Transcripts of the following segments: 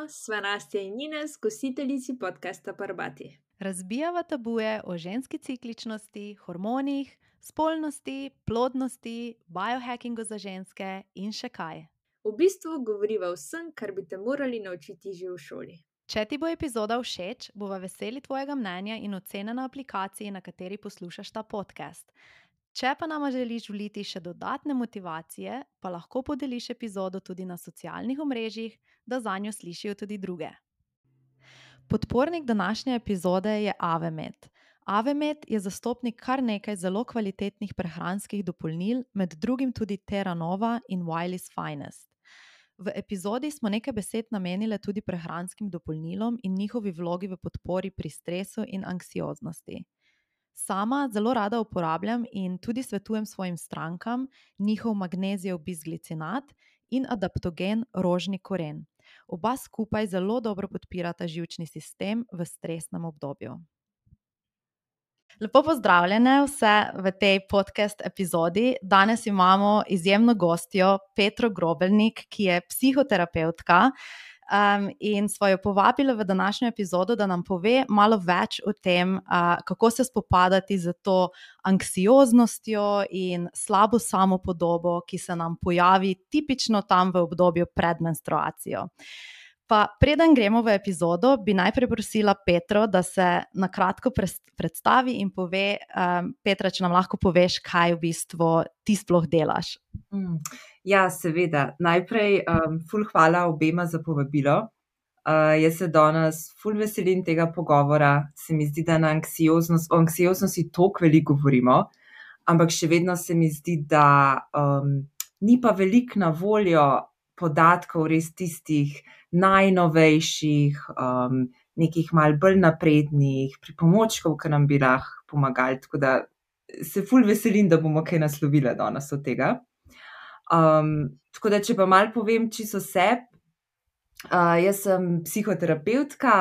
Živijo, sva Nastja in Ines, gostiteljici podcasta Parbati. Razbijava tabuje o ženski cikličnosti, hormonih, spolnosti, plodnosti, biohackingu za ženske in še kaj. V bistvu govoriva o vsem, kar bi te morali naučiti že v šoli. Če ti bo epizoda všeč, bova veseli tvojega mnenja in ocene na aplikaciji, na kateri poslušaš ta podcast. Če pa nama želiš vliti še dodatne motivacije, pa lahko podeliš epizodo tudi na socialnih omrežjih, da zanjo slišijo tudi druge. Podpornik današnje epizode je Avemed. Avemed je zastopnik kar nekaj zelo kvalitetnih prehranskih dopolnil, med drugim tudi Terra Nova in Wiley's Finest. V epizodi smo nekaj besed namenile tudi prehranskim dopolnilom in njihovi vlogi v podpori pri stresu in anksioznosti. Sama zelo rada uporabljam in tudi svetujem svojim strankam njihov magnezijev bisglicinat in adaptogen rožni koren. Oba skupaj zelo dobro podpirata živčni sistem v stresnem obdobju. Lepo pozdravljene vse v tej podcast epizodi. Danes imamo izjemno gostjo Petro Grobelnik, ki je psihoterapevtka, in sva jo povabila v današnjo epizodo, da nam pove malo več o tem, kako se spopadati z to anksioznostjo in slabo samopodobo, ki se nam pojavi tipično tam v obdobju pred menstruacijo. Pa preden gremo v epizodo, bi najprej prosila Petro, da se na kratko predstavi in pove, Petra, če nam lahko poveš, kaj v bistvu ti sploh delaš. Ja, seveda. Najprej ful hvala obema za povabilo. Jaz se danes ful veselim tega pogovora. Se mi zdi, da o anksioznosti toliko veliko govorimo, ampak še vedno se mi zdi, da ni pa veliko na voljo podatkov res tistih najnovejših, nekih malo bolj naprednih pripomočkov, ki nam bi lahko pomagali. Tako da se ful veselim, da bomo kaj naslovili danes od tega. Tako da, če pa malo povem čisto sebi, jaz sem psihoterapevtka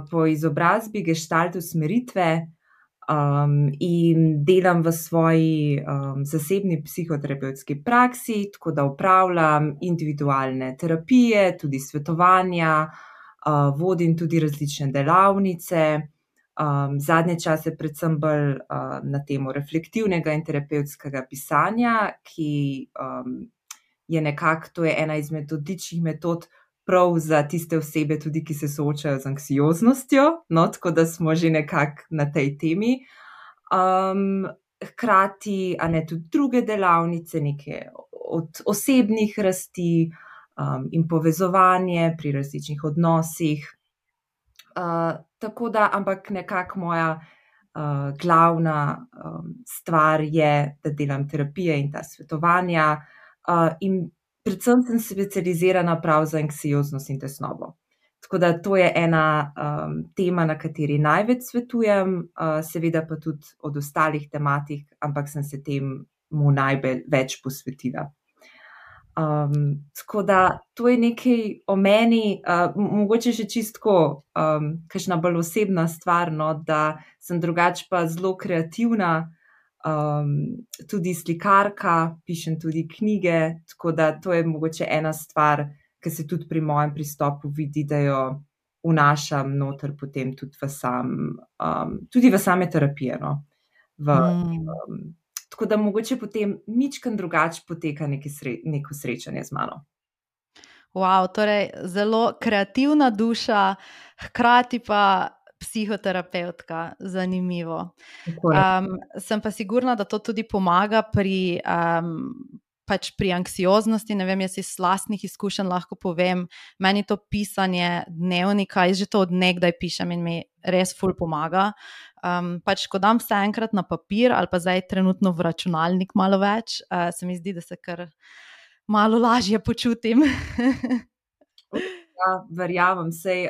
po izobrazbi gestalt usmeritve in delam v svoji zasebni psihoterapevtski praksi, tako da opravljam individualne terapije, tudi svetovanja, vodim tudi različne delavnice. Zadnje čase predvsem bolj na temo reflektivnega in terapevtskega pisanja, ki je nekako, to je ena izmed odličnih metod prav za tiste osebe tudi, ki se soočajo z anksioznostjo, no, tako da smo že nekako na tej temi. Hkrati, tudi druge delavnice, neke od osebnih rasti in povezovanje pri različnih odnosih. Tako da, ampak nekako moja glavna stvar je, da delam terapije in ta svetovanja, in predvsem sem specializirana prav za anksioznost in tesnobo. Tako da to je ena tema, na kateri največ svetujem, seveda pa tudi od ostalih tematik, ampak sem se temu največ posvetila. Tako da to je nekaj o meni, mogoče še čistko kakšna bolj osebna stvar, no, da sem drugače pa zelo kreativna, tudi slikarka, pišem tudi knjige, tako da to je mogoče ena stvar, ki se tudi pri mojem pristopu vidi, da jo vnašam noter potem tudi v same terapije, no. Tako da mogoče potem mičken drugače poteka neko srečanje z mano. Wow, torej zelo kreativna duša, hkrati pa psihoterapevtka, zanimivo. Sem pa sigurna, da to tudi pomaga pri anksioznosti. Ne vem, jaz iz lastnih izkušenj lahko povem, meni to pisanje dnevnika, jaz že to od nekdaj pišem in mi res ful pomaga. Ko dam vse enkrat na papir ali pa zdaj trenutno v računalnik malo več, se mi zdi, da se kar malo lažje počutim. Ja, verjamem, sej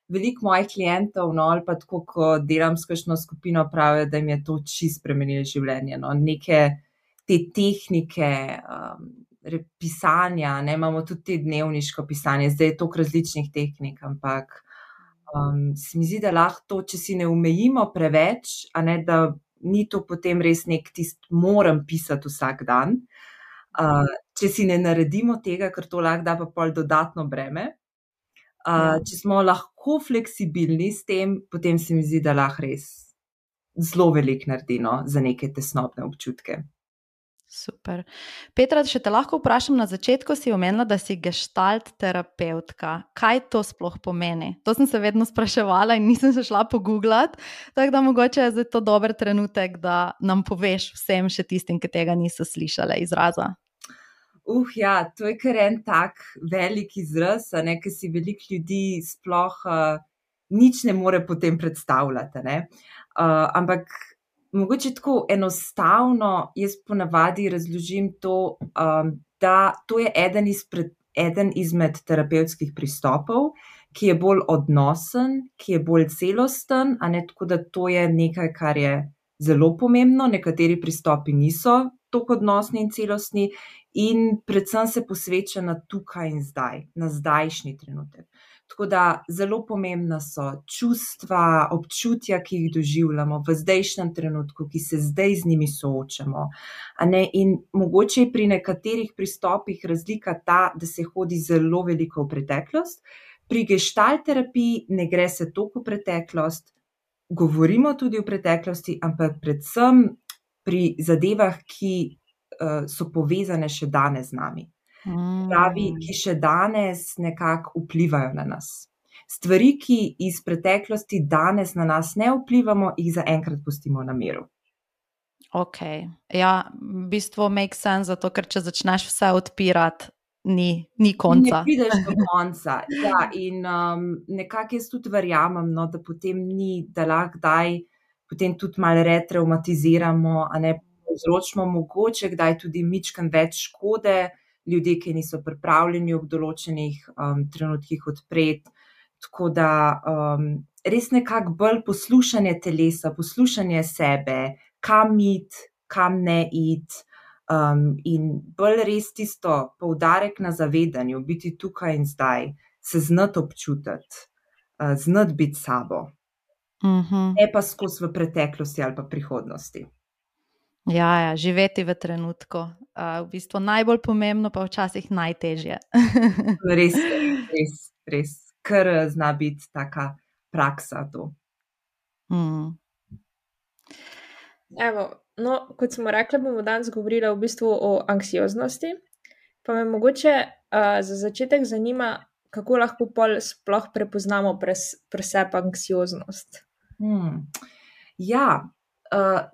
veliko mojih klientov, no, ali pa tako, ko delam s kakšno skupino, pravijo, da jim je to čisto spremenilo življenje, no. Neke te tehnike pisanja, ne, imamo tudi te dnevniško pisanje, zdaj je toliko različnih tehnik, ampak se mi zdi, da lahko to, če si ne omejimo preveč, da ni to potem res moram pisati vsak dan. Če si ne naredimo tega, ker to lahko da pa pol dodatno breme. Če smo lahko fleksibilni s tem, potem se mi zdi, da lahko res zelo veliko naredimo za neke tesnobne občutke. Super. Petra, še te lahko vprašam, na začetku si omenila, da si gestalt terapevtka. Kaj to sploh pomeni? To sem se vedno spraševala in nisem se šla pogooglati, tako da mogoče je zdaj to dober trenutek, da nam poveš vsem še tistim, ki tega niso slišali izraza. Ja, to je kar en tak velik izraz, ki si veliko ljudi sploh nič ne more potem predstavljati. Ampak mogoče tako enostavno jaz ponavadi razložim to, da to je eden izmed terapevtskih pristopov, ki je bolj odnosen, ki je bolj celosten, tako da to je nekaj, kar je zelo pomembno. Nekateri pristopi niso tako odnosni in celostni in predvsem se posveča na tukaj in zdaj, na zdajšnji trenutek. Tako da zelo pomembna so čustva, občutja, ki jih doživljamo v zdajšnjem trenutku, ki se zdaj z njimi soočamo. In mogoče je pri nekaterih pristopih razlika ta, da se hodi zelo veliko v preteklost. Pri gestalt terapiji ne gre se toliko v preteklost, govorimo tudi o preteklosti, ampak predvsem pri zadevah, ki so povezane še danes z nami. Pravi, ki še danes nekako vplivajo na nas. Stvari, ki iz preteklosti danes na nas ne vplivamo, jih zaenkrat pustimo na miru. Ok, ja, v bistvu make sense, zato ker če začneš vse odpirati, ni konca. Ne prideš do konca. Ja, in nekako jaz tudi verjamem, da potem ni, da lahko kdaj potem tudi malo retraumatiziramo, povzročimo mogoče kdaj tudi mičken več škode, ljudje, ki niso pripravljeni ob določenih trenutkih odpreti. Tako da res nekako bolj poslušanje telesa, poslušanje sebe, kam iti, kam ne iti, in bolj res tisto poudarek na zavedanju, biti tukaj in zdaj, se znati občutiti, znati biti sabo. Ne pa skozi v preteklosti ali pa prihodnosti. Ja, živeti v trenutku. V bistvu najbolj pomembno, pa včasih najtežje. Res. Kar zna biti taka praksa to. Evo, kot smo rekli, bomo danes govorili v bistvu o anksioznosti. Pa me mogoče za začetek zanima, kako lahko pol sploh prepoznamo pri sebi anksioznost. Ja,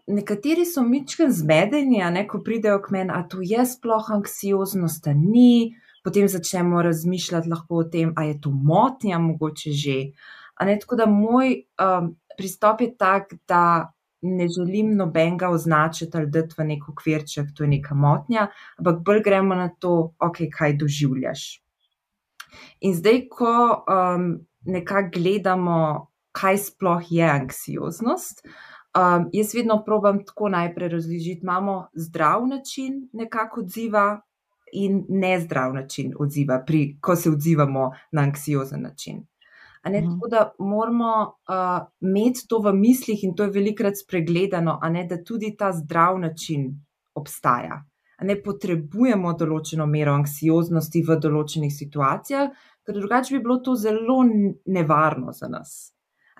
nekateri so mičken zmedeni, ko pridejo k meni, a to je sploh anksioznost, ni, potem začnemo razmišljati lahko o tem, a je to motnja mogoče že. Tako da moj pristop je tak, da ne želim nobenega označiti ali dati v nek okvirček, to je neka motnja, ampak bolj gremo na to, kaj doživljaš. In zdaj, ko nekako gledamo, kaj sploh je anksioznost, jaz vedno probam tako najprej razložiti, imamo zdrav način nekako odziva in nezdrav način odziva, ko se odzivamo na anksiozen način. Tako da moramo imeti to v mislih in to je velikokrat spregledano, da tudi ta zdrav način obstaja. Potrebujemo določeno mero anksioznosti v določenih situacijah, ker drugače bi bilo to zelo nevarno za nas.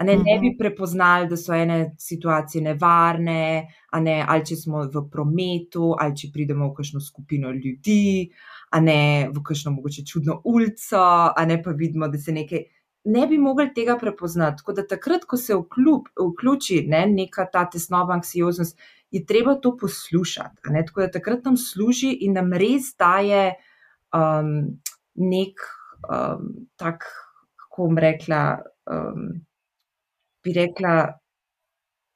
Ne bi prepoznali, da so ene situacije nevarne, ali če smo v prometu, ali če pridemo v kakšno skupino ljudi, v kakšno mogoče čudno ulico, pa vidimo, da se nekaj. Ne bi mogli tega prepoznati. Tako da takrat, ko se vključi neka ta tesnobna anksioznost, je treba to poslušati. Tako da takrat nam služi in nam res daje nek tak, kako bom rekla, bi rekla,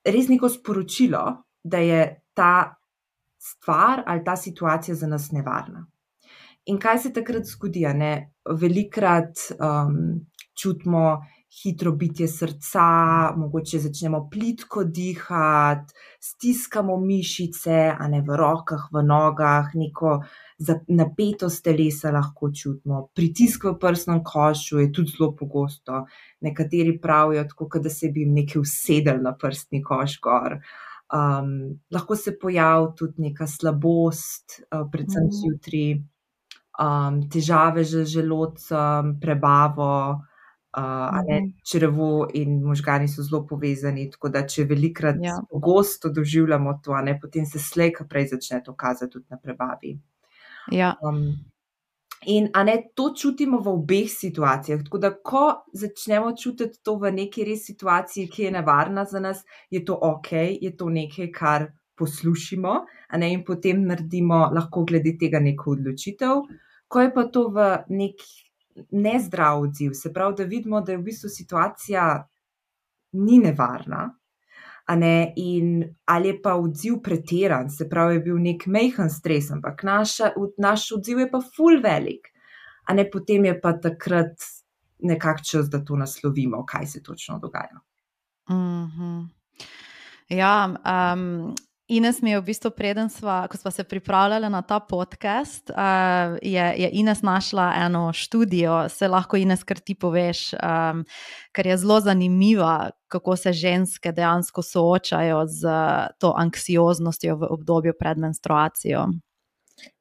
res neko sporočilo, da je ta stvar ali ta situacija za nas nevarna. In kaj se takrat zgodi? Velikokrat čutimo hitro bitje srca, mogoče začnemo plitko dihati, stiskamo mišice, v rokah, v nogah, neko napetost telesa lahko čutimo. Pritisk v prsnem košu je tudi zelo pogosto. Nekateri pravijo tako, da se bi jim nekaj usedel na prstni koš gor. Lahko se pojavi tudi neka slabost, predvsem zjutraj, težave z želodcem, prebavo. Črevo in možgani so zelo povezani, tako da če velikrat Ja. pogosto doživljamo to, potem se slej ko prej začne to kazati tudi na prebavi. Ja. In to čutimo v obeh situacijah, tako da ko začnemo čutiti to v neki res situaciji, ki je nevarna za nas, je to okej, je to nekaj, kar poslušimo, in potem naredimo lahko glede tega neko odločitev. Ko je pa to v nek nezdrav odziv, se pravi, da vidimo, da je v bistvu situacija ni nevarna, in ali je pa odziv pretiran, se pravi, je bil nek majhen stres, ampak naš odziv je pa ful velik, potem je pa takrat nekako čas, da to naslovimo, kaj se točno dogaja. Ja, Ines mi je v bistvu ko sva se pripravljala na ta podcast, je Ines našla eno študijo, se lahko Ines kar ti poveš, ker je zelo zanimiva, kako se ženske dejansko soočajo z to anksioznostjo v obdobju pred menstruacijo.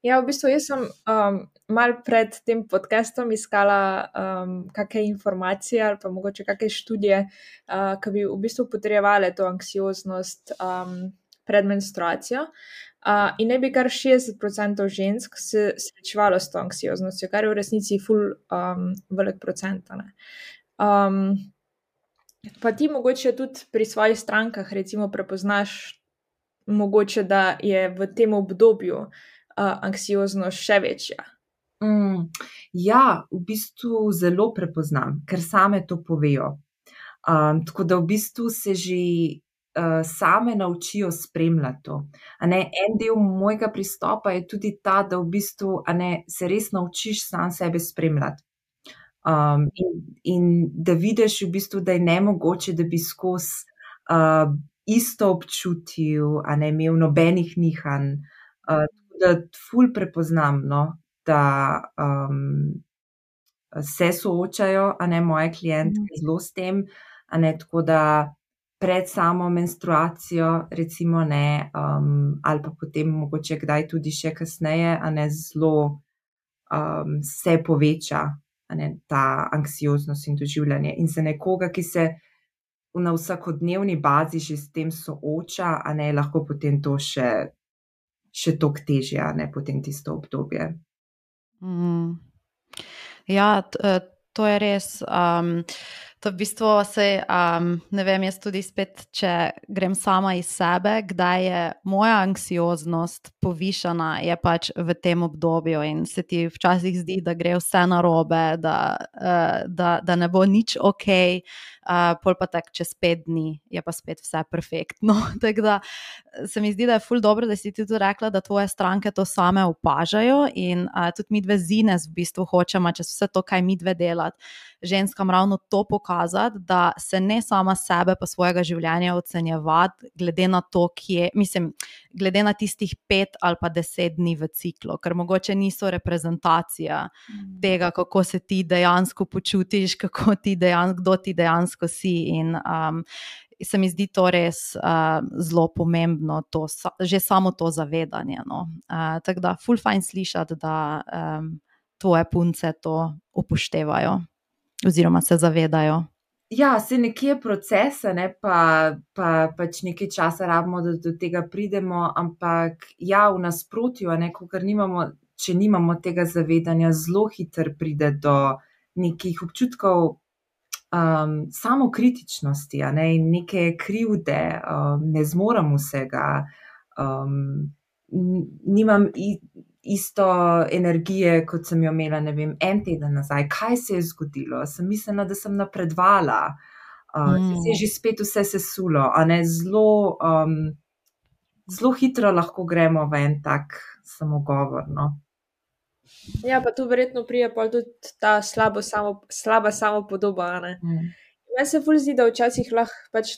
Ja, v bistvu jaz sem malo pred tem podcastom iskala kakšne informacije ali pa mogoče kakšne študije, ki bi v bistvu potrjevale to anksioznost pred menstruacijo. In ne bi kar 60% žensk se srečevalo s to anksioznostjo, kar je v resnici ful velik procent. Pa ti mogoče tudi pri svojih strankah recimo prepoznaš mogoče, da je v tem obdobju anksioznost še večja. Ja, v bistvu zelo prepoznam, ker same to povejo. Tako da v bistvu se že same naučijo spremljati to. En del mojega pristopa je tudi ta, da v bistvu se res naučiš sam sebe spremljati. In da vidiš v bistvu, da je nemogoče, da bi skozi isto občutil, imel nobenih nihanj. Da ful prepoznam, da se soočajo, moje klientke zelo s tem, tako da pred samo menstruacijo recimo, ali pa potem mogoče kdaj tudi še kasneje, zelo se poveča, ta anksioznost in doživljanje. In za nekoga, ki se na vsakodnevni bazi že s tem sooča, lahko potem to še toliko težje, potem tisto obdobje. Ja, to je res. To v bistvu ne vem, jaz tudi spet, če grem sama iz sebe, kdaj je moja anksioznost povišana, je pač v tem obdobju in se ti včasih zdi, da gre vse narobe, da ne bo nič okej, pol pa tako čez 5 dni je pa spet vse perfektno. Tako da se mi zdi, da je ful dobro, da si ti tudi rekla, da tvoje stranke to same opažajo in tudi midve z Ines v bistvu hočemo čez vse to, kaj midve delati, ženskam ravno to pokazati, da se ne sama sebe pa svojega življenja ocenjevati glede na to, glede na tistih 5 ali pa 10 dni v ciklu, ker mogoče niso reprezentacija tega, kako se ti dejansko počutiš, kdo ti dejansko si in se mi zdi to res zelo pomembno, že samo to zavedanje. Tako da ful fajn slišati, da tvoje punce to upoštevajo oziroma se zavedajo. Ja, se nekje je proces, pa pač nekaj časa rabimo, da do tega pridemo, ampak ja, v nasprotju, če nimamo tega zavedanja, zelo hitro pride do nekih občutkov samokritičnosti, in neke krivde, ne zmorem vsega, nimam isto energije, kot sem jo imela, ne vem, en teden nazaj. Kaj se je zgodilo? Sem mislila, da sem napredovala. Se je že spet vse sesulo, zelo hitro lahko gremo v en tak samogovor, Ja, pa tu verjetno pride pol tudi ta slaba samopodoba, Meni se ful zdi, da včasih lahko pač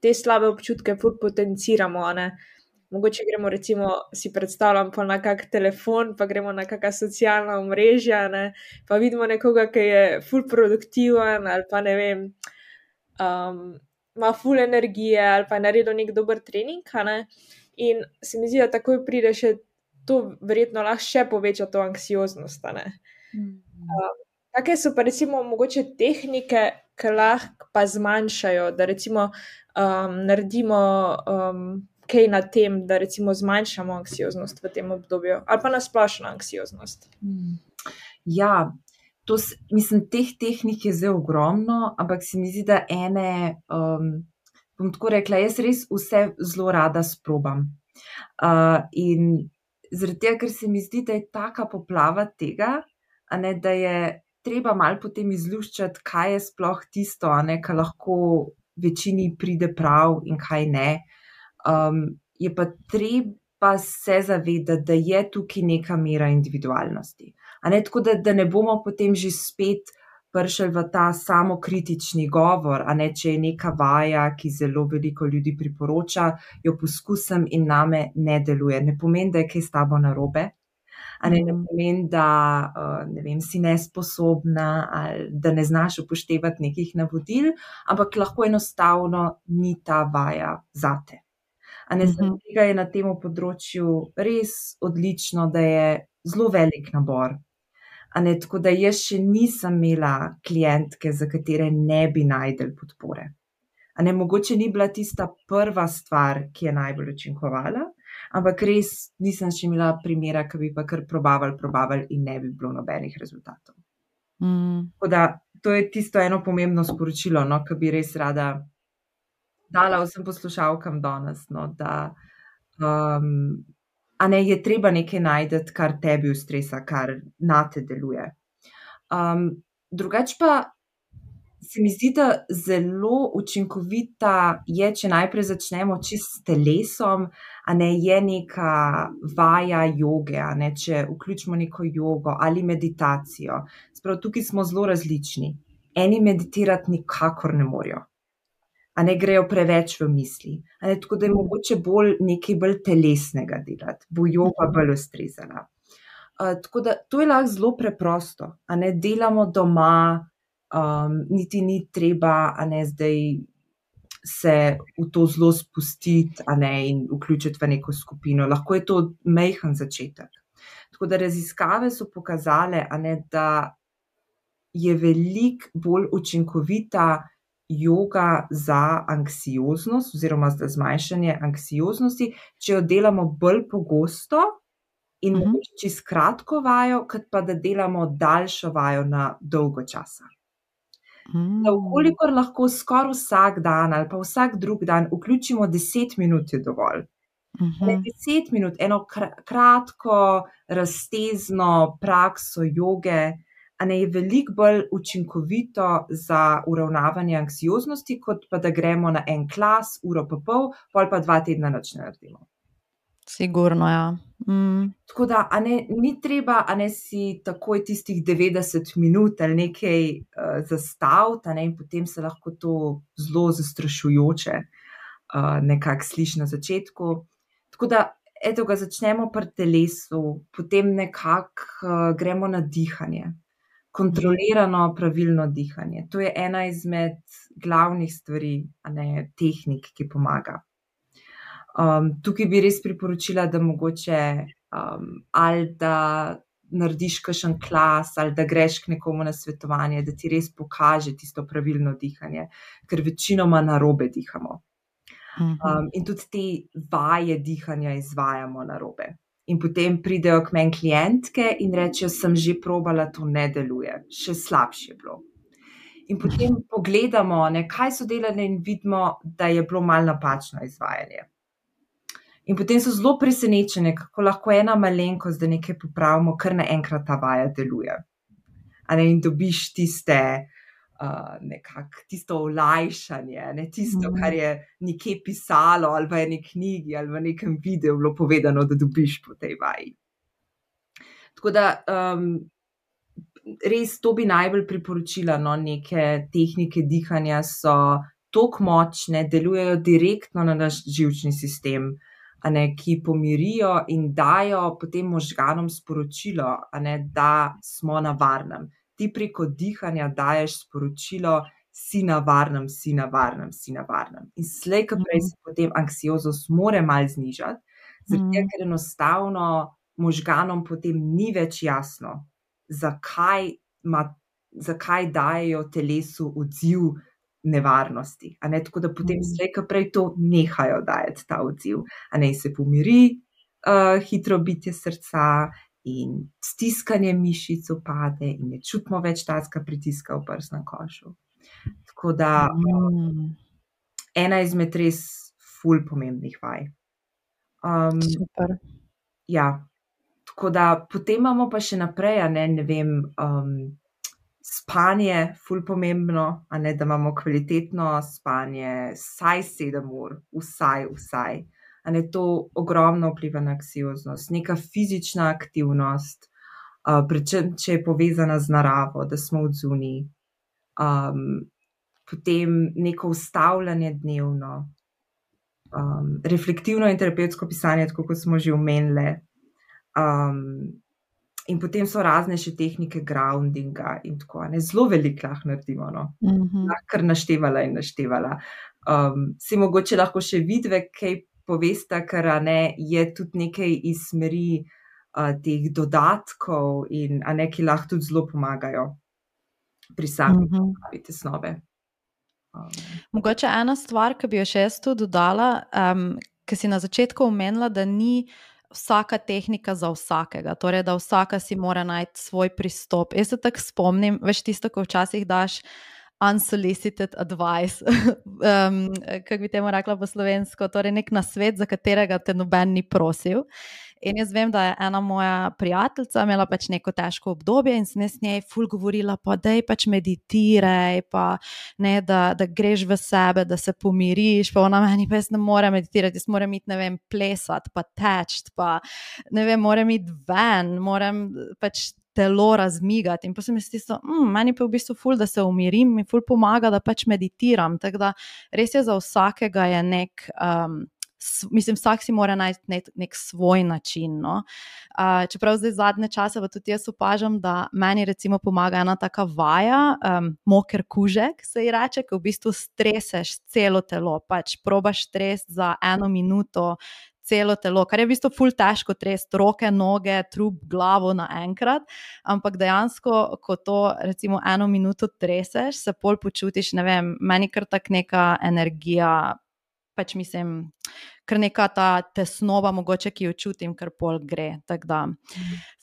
te slabe občutke ful potenciramo, Mogoče gremo recimo, si predstavljam pa na kak telefon, pa gremo na kakšna socialna omrežja, pa vidimo nekoga, ki je ful produktiven ali pa ne vem, ima ful energije ali pa je naredil nek dober trening, in se mi zdi, da takoj pride še to verjetno lahko še poveča to anksioznost, Kakšne so pa recimo mogoče tehnike, ki lahko pa zmanjšajo, da recimo naredimo kaj na tem, da recimo zmanjšamo anksioznost v tem obdobju ali pa nasplošno anksioznost? Ja, mislim, teh tehnik je zdaj ogromno, ampak se mi zdi, da ene, bom tako rekla, jaz res vse zelo rada sprobam. In zaradi tega, ker se mi zdi, da je taka poplava tega, da je treba malo potem izluščati, kaj je sploh tisto, kar lahko večini pride prav in kaj ne. Je pa treba se zavedati, da je tukaj neka mera individualnosti. Tako da ne bomo potem že spet prišli v ta samokritični govor, če je neka vaja, ki zelo veliko ljudi priporoča, jo poskusim in name ne deluje. Ne pomeni, da je kaj s tabo narobe. Ne pomeni, da ne vem, si nesposobna ali da ne znaš upoštevati nekih navodil, ampak lahko enostavno ni ta vaja zate. Zaradi tega je na tem področju res odlično, da je zelo velik nabor. Tako da jaz še nisem imela klientke, za katere ne bi našli podpore. Mogoče ni bila tista prva stvar, ki je najbolj učinkovala, ampak res nisem še imela primera, ki bi pa kar probavali in ne bi bilo nobenih rezultatov. Tako da to je tisto eno pomembno sporočilo, ki bi res rada dala vsem poslušalkam danes, da je treba nekaj najti, kar tebi ustreza, kar nate deluje. Drugače pa se mi zdi, da zelo učinkovita je, če najprej začnemo čisto s telesom, je neka vaja joge, če vključimo neko jogo ali meditacijo. Sprav, tukaj smo zelo različni. Eni meditirati nikakor ne morejo. Grejo preveč v misli. Tako da je mogoče nekaj bolj telesnega delati, bo joga bolj ustrezala. Tako da to je lahko zelo preprosto. Delamo doma, niti ni treba zdaj se v to zelo spustiti in vključiti v neko skupino. Lahko je to majhen začetek. Tako da raziskave so pokazale, da je veliko bolj učinkovita joga za anksioznost oziroma za zmanjšanje anksioznosti, če jo delamo bolj pogosto in mogoče čisto kratko vajo, kot pa da delamo daljšo vajo na dolgo časa. Kolikor lahko skoraj vsak dan ali pa vsak drug dan vključimo 10 minut, je dovolj. 10 minut, eno kratko, raztezno prakso joge, je veliko bolj učinkovito za uravnavanje anksioznosti, kot pa da gremo na en klas, uro pa pol, pol pa 2 tedna nič ne naredimo. Sigurno, ja. Tako da, ni treba, si takoj tistih 90 minut ali nekaj zastaviti, in potem se lahko to zelo zastrašujoče nekako sliši na začetku. Tako da, eto ga začnemo pri telesu, potem nekako gremo na dihanje. Kontrolirano, pravilno dihanje. To je ena izmed glavnih stvari, tehnik, ki pomaga. Tukaj bi res priporočila, da mogoče ali da narediš kakšen klas ali da greš k nekomu na svetovanje, da ti res pokaže tisto pravilno dihanje, ker večinoma narobe dihamo. In tudi te vaje dihanja izvajamo narobe. In potem pridejo k meni klientke in rečejo, sem že probala, to ne deluje, še slabše je bilo. In potem pogledamo, kaj so delali in vidimo, da je bilo malo napačno izvajanje. In potem so zelo presenečene, kako lahko ena malenkost, da nekaj popravimo, kar naenkrat ta vaja deluje. In dobiš nekako tisto olajšanje, tisto, kar je nekje pisalo ali v eni knjigi ali v nekem videu bilo povedano, da dobiš po tej vaji. Tako da res to bi najbolj priporočila, neke tehnike dihanja so toliko močne, delujejo direktno na naš živčni sistem, ki pomirijo in dajo potem možganom sporočilo, da smo na varnem. Ti preko dihanja daješ sporočilo, si na varnem, si na varnem, si na varnem. In slej, ko prej se potem anksioznost more malo znižati, zato ker enostavno možganom potem ni več jasno, zakaj ima zakaj dajo telesu odziv nevarnosti. Tako da potem slej, ko prej to nehajo dajati ta odziv. In se pomiri hitro bitje srca in stiskanje mišic opade in ne čutimo več tazga pritiska v prsnem košu. Tako da ena izmed res ful pomembnih vaj. Super. Ja, tako da potem imamo pa še naprej, ne vem, spanje ful pomembno, da imamo kvalitetno spanje, vsaj 7 ur, vsaj. To ogromno vpliva na anksioznost, neka fizična aktivnost, predvsem, če je povezana z naravo, da smo odzunaj, potem neko ustavljanje dnevno, reflektivno in terapevtsko pisanje, tako kot smo že omenili, in potem so razne še tehnike groundinga in tako, zelo veliko lahko naredimo, lahko kar naštevala. Si mogoče lahko še vidve, kaj povesta, ker je tudi nekaj iz smeri teh dodatkov in ki lahko tudi zelo pomagajo pri sami pripravi tesnobe. Mogoče ena stvar, ki bi jo še jaz tu dodala, ki si na začetku omenila, da ni vsaka tehnika za vsakega, torej da vsaka si mora najti svoj pristop. Jaz se tako spomnim, veš tisto, ko včasih daš unsolicited advice, kako bi temu rekla po slovensko, torej nek nasvet, za katerega te noben ni prosil. In jaz vem, da je ena moja prijateljica imela pač neko težko obdobje in sem s njej ful govorila, pa daj pač meditiraj, pa ne, da greš v sebe, da se pomiriš, pa ona meni, pa jaz ne morem meditirati, jaz moram iti, ne vem, plesati, pa teči, pa ne vem, moram iti ven, moram pač telo razmigati. In pa sem jaz tisto, meni pa v bistvu ful, da se umirim, mi ful pomaga, da pač meditiram, tako da res je za vsakega je nek... Mislim, vsak si mora najti nek svoj način, no. Čeprav zdaj zadnje čase pa tudi jaz opažam, da meni recimo pomaga ena taka vaja, moker kužek se ji reče, ko v bistvu streseš celo telo, pač probaš stresiti za 1 minuto celo telo, kar je v bistvu ful težko tresti, roke, noge, trup, glavo naenkrat, ampak dejansko, ko to recimo 1 minuto treseš, se pol počutiš, ne vem, meni kar tak neka energija, pač mislim, kar neka ta tesnoba mogoče, ki jo čutim, kar pol gre, tako da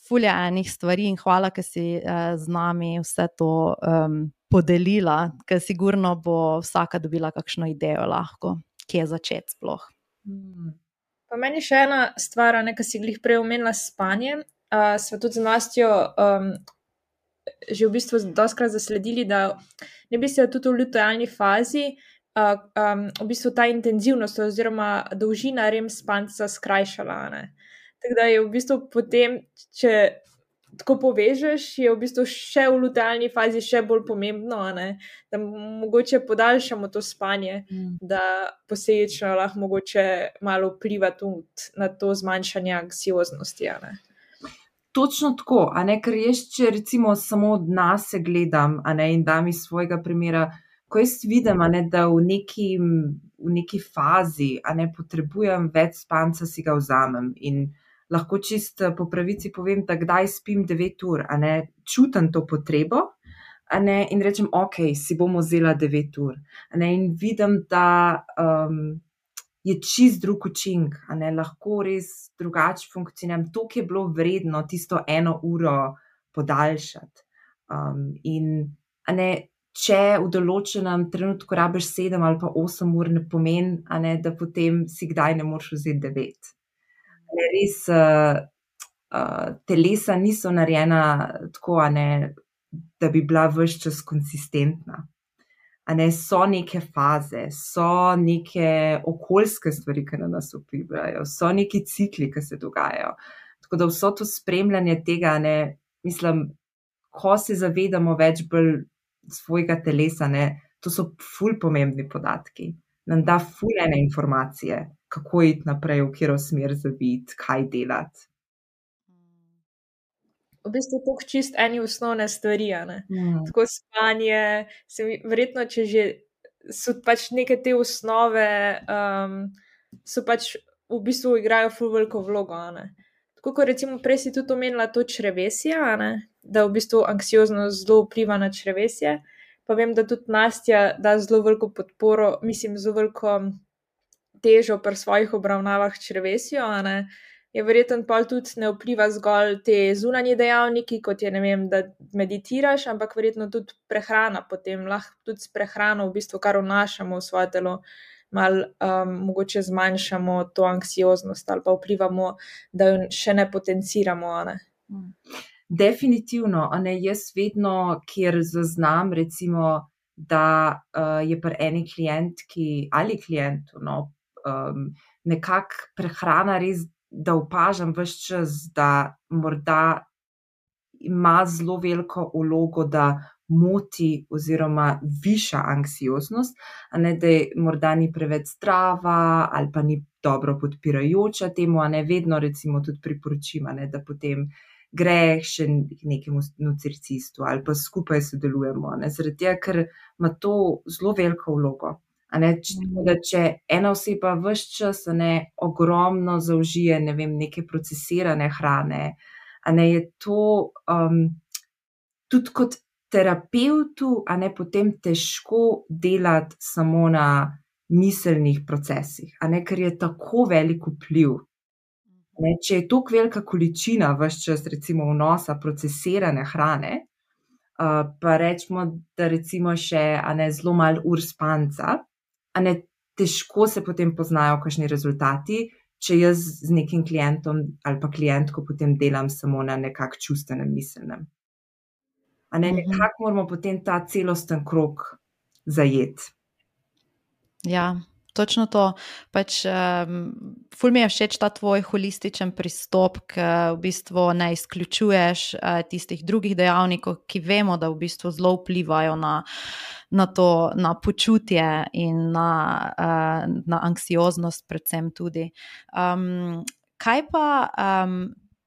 ful je enih stvari in hvala, ker si z nami vse to podelila, ker sigurno bo vsaka dobila kakšno idejo lahko, kje začeti sploh. Pa meni še ena stvar, ki si glih prej omenila spanje, sva tudi z Nastjo že v bistvu dostikrat zasledili, da ne bi se tudi v lutealni fazi v bistvu ta intenzivnost oziroma dolžina REM spanca skrajšala, Tako da je v bistvu potem, če tako povežeš, je v bistvu še v lutealni fazi še bolj pomembno, da mogoče podaljšamo to spanje, da posledično lahko mogoče malo vpliva tudi na to zmanjšanje anksioznosti, Točno tako, ker jaz, če recimo samo od nas se gledam, in dam iz svojega primera, ko jaz vidim, da v neki fazi, potrebujem več spanca, si ga vzamem in lahko čist po pravici povem, da kdaj spim 9 ur, čutim to potrebo, in rečem, ok, si bom vzela 9 ur, in vidim, da je čist drug učinek, lahko res drugače funkcioniram, toliko je bilo vredno tisto 1 uro podaljšati. In če v določenem trenutku rabiš 7 ali pa 8 ur, ne pomeni, da potem si kdaj ne moreš vzeti 9. Res telesa niso narejena tako, da bi bila ves čas konsistentna. So neke faze, so neke okoljske stvari, ki na nas vplivajo, so neki cikli, ki se dogajajo. Tako da vso to spremljanje tega, mislim, ko se zavedamo več bolj svojega telesa, to so ful pomembni podatki. Nam da ful ene informacije, kako iti naprej, v katero smer zaviti, kaj delati. V bistvu toliko čist eni osnovne stvari, Tako spanje, verjetno, če že so pač neke te osnove, so pač v bistvu igrajo ful veliko vlogo, tako kot recimo prej si tudi omenila to črevesje, a ne, da v bistvu anksioznost zelo vpliva na črevesje, pa vem, da tudi Nastja da zelo veliko podporo, mislim, zelo veliko težo pri svojih obravnavah črevesju, a ne, je verjetno pol tudi ne vpliva zgolj te zunanje dejavniki, kot je, ne vem, da meditiraš, ampak verjetno tudi prehrana potem, lahko tudi s prehrano v bistvu kar vnašamo v svoje telo, malo mogoče zmanjšamo to anksioznost ali pa vplivamo, da jo še ne potenciramo, a ne. Definitivno, a ne, jaz vedno, kjer zaznam recimo, da je pri eni klientki ali klientu, no, nekako prehrana res, da opažam ves čas, da morda ima zelo veliko vlogo, da moti oziroma viša anksioznost, a ne, da morda ni preveč zdrava ali pa ni dobro podpirajoča temu, a ne, vedno recimo tudi priporočim, a ne, da potem gre še nekemu nutricistu ali pa skupaj sodelujemo, ne, zaradi tega, ker ima to zelo veliko vlogo. A ne, da če ena oseba ves čas, a ne, ogromno zaužije, ne vem, neke procesirane hrane, a ne, je to tudi kot terapevtu, a ne, potem težko delati samo na miselnih procesih, a ne, ker je tako velik vpliv. Ne, če je toliko velika količina ves čas recimo vnosa procesirane hrane, pa rečemo, da recimo še, a ne, zelo malo ur spanca, a ne, težko se potem poznajo kakšni rezultati, če jaz z nekim klientom ali pa klientko potem delam samo na nekak čustvenem, miselnem. A ne, nekako moramo potem ta celosten krog zajeti. Ja, točno to. Pač ful mi je všeč ta tvoj holističen pristop, ki v bistvu ne izključuješ tistih drugih dejavnikov, ki vemo, da v bistvu zelo vplivajo na to, na počutje in na anksioznost predvsem tudi. Kaj pa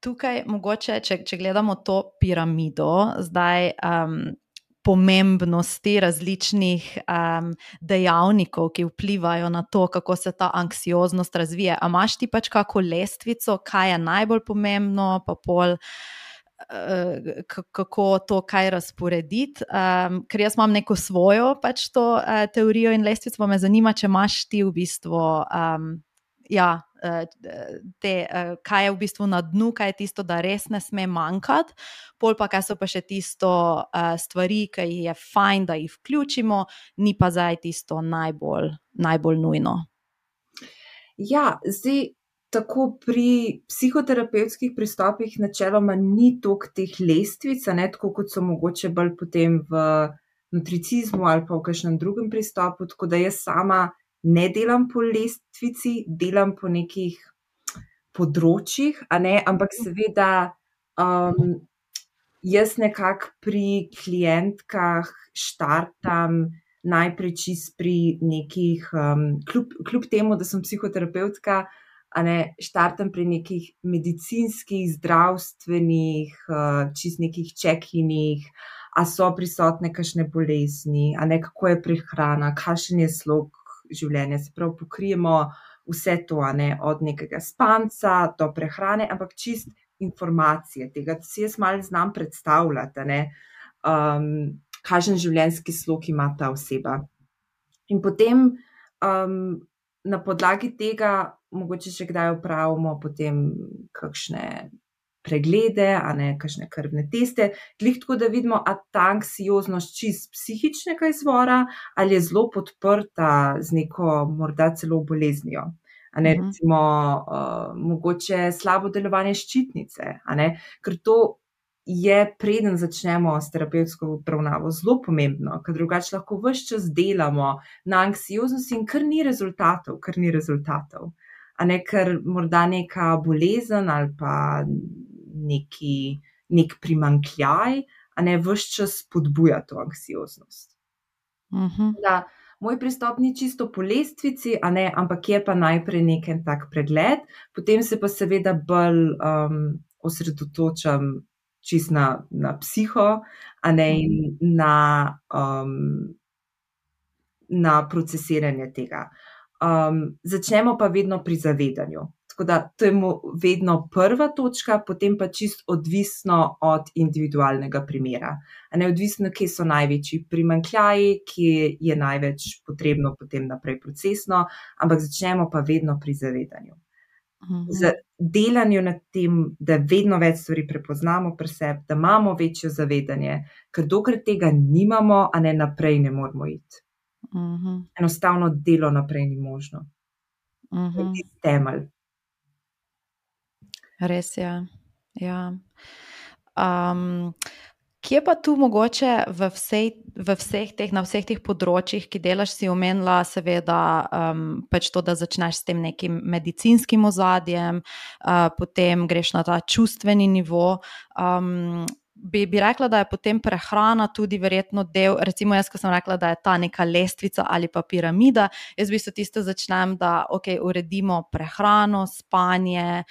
tukaj mogoče, če gledamo to piramido, zdaj pomembnosti različnih dejavnikov, ki vplivajo na to, kako se ta anksioznost razvije. A imaš ti pač kako lestvico, kaj je najbolj pomembno, pa pol kako to kaj razporediti, ker jaz imam neko svojo pač to teorijo in lestvico, pa me zanima, če imaš ti v bistvu kaj je v bistvu na dnu, kaj je tisto, da res ne sme manjkati, pol pa kaj so pa še tisto stvari, ki je fajn, da jih vključimo, ni pa zdaj tisto najbolj nujno. Ja, zdaj tako pri psihoterapevtskih pristopih načeloma ni toliko teh lestvic, ne, tako kot so mogoče bolj potem v nutricizmu ali pa v kakšnem drugem pristopu, tako da jaz sama ne delam po lestvici, delam po nekih področjih, a ne, ampak seveda jaz nekako pri klientkah štartam najprej čist pri nekih, kljub temu, da sem psihoterapevtka, a ne, štartam pri nekih medicinskih, zdravstvenih, čist nekih check-inih, a so prisotne kakšne bolezni, a ne, kako je prehrana, kakšen je slog življenja, se pravi, pokrijemo vse to, a ne, od nekega spanca do prehrane, ampak čist informacije tega, da si jaz malo znam predstavljati, a ne, kakšen življenjski slog ima ta oseba. In potem na podlagi tega mogoče še kdaj opravimo potem kakšne preglede, a ne, kakšne krvne teste, glih tako, da vidimo, a ta anksioznost čist psihičnega izvora ali je zelo podprta z neko morda celo boleznijo. A ne, recimo mogoče slabo delovanje ščitnice, a ne, ker to je, preden začnemo s terapevtsko obravnavo, zelo pomembno, ker drugače lahko ves čas delamo na anksioznosti in kar ni rezultatov. A ne, ker morda neka bolezen ali pa nek primanjkljaj, a ne, ves čas spodbuja to anksioznost. Da, moj pristop ni čisto po lestvici, a ne, ampak je pa najprej nek tak pregled, potem se pa seveda bolj osredotočam čist na psiho, a ne, in na procesiranje tega. Začnemo pa vedno pri zavedanju. Tako da to je vedno prva točka, potem pa čisto odvisno od individualnega primera. A ne odvisno, kje so največji primanjkljaji, kje je največ potrebno potem naprej procesno, ampak začnemo pa vedno pri zavedanju. Z delanjem na tem, da vedno več stvari prepoznamo pri sebi, da imamo večje zavedanje, ker dokler tega nimamo, a ne naprej ne moramo iti. Enostavno delo naprej ni možno. To je tisti temelj. Res je, ja. Kje pa tu mogoče na vseh teh področjih, ki delaš, si omenila seveda pač to, da začneš s tem nekim medicinskim ozadjem, potem greš na ta čustveni nivo. Bi rekla, da je potem prehrana tudi verjetno del, recimo jaz, ko sem rekla, da je ta neka lestvica ali pa piramida, jaz v bistvu tisto začnem, da uredimo prehrano, spanje,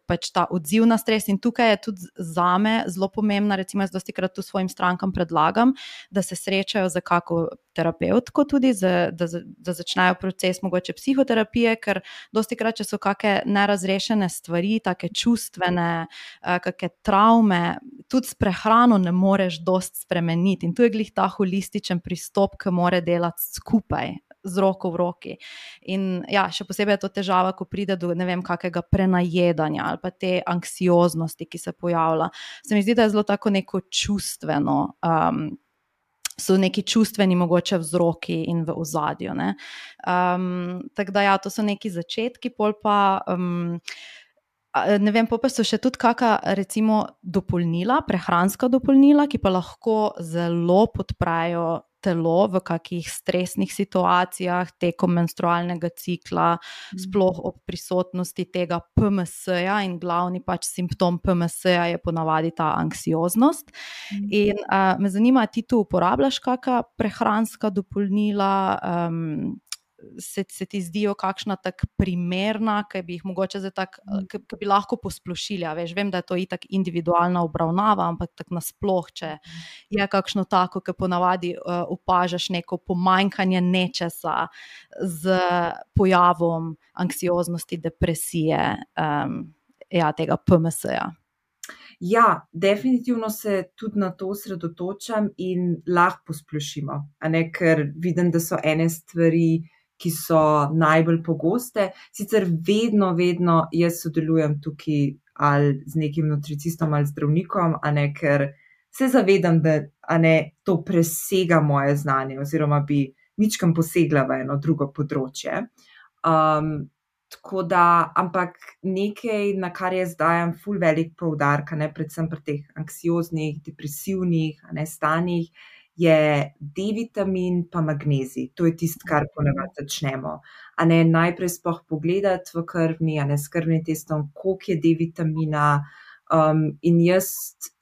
pač ta odziv na stres in tukaj je tudi zame zelo pomembna, recimo jaz dostikrat tu svojim strankam predlagam, da se srečajo z kako terapevtko tudi, da začnejo proces mogoče psihoterapije, ker dostikrat, če so kakšne nerazrešene stvari, take čustvene, kakšne travme, tudi s prehrano ne moreš dosti spremeniti in tu je glih ta holističen pristop, ki mora delati skupaj, z roko v roki. In ja, še posebej je to težava, ko pride do, ne vem, kakega prenajedanja ali pa te anksioznosti, ki se pojavlja. Se mi zdi, da je zelo tako neko čustveno, so neki čustveni mogoče vzroki in v ozadju, ne. Tako da ja, to so neki začetki, pol pa ne vem, pa so še tudi kakšna recimo dopolnila, prehranska dopolnila, ki pa lahko zelo podprejo telo v kakih stresnih situacijah tekom menstrualnega cikla, sploh ob prisotnosti tega PMS-ja in glavni pač simptom PMS-ja je ponavadi ta anksioznost. In me zanima, ti tu uporabljaš kakšna prehranska dopolnila, se ti zdijo kakšna tak primerna, ki bi jih mogoče zdaj tak, ki bi lahko posplošili, veš, vem, da je to itak individualna obravnava, ampak tako nasploh, če je kakšno tako, ki ponavadi opažaš neko pomanjkanje nečesa z pojavom anksioznosti, depresije, ja, tega PMS-ja. Ja, definitivno se tudi na to osredotočam in lahko posplošimo, a ne, ker vidim, da so ene stvari, ki so najbolj pogoste. Sicer vedno jaz sodelujem tukaj ali z nekim nutricistom ali zdravnikom, a ne, ker se zavedam, da a ne, to presega moje znanje oziroma bi mičkeno posegla v eno drugo področje. Tako da, ampak nekaj, na kar jaz dajem ful velik poudarek, a ne, predvsem pri teh anksioznih, depresivnih, a ne, stanjih, je D-vitamin pa magnezij. To je tisto, kar ponavadi začnemo. A ne, najprej sploh pogledati v krvni, a ne, s krvnim testom, koliko je D-vitamina, in jaz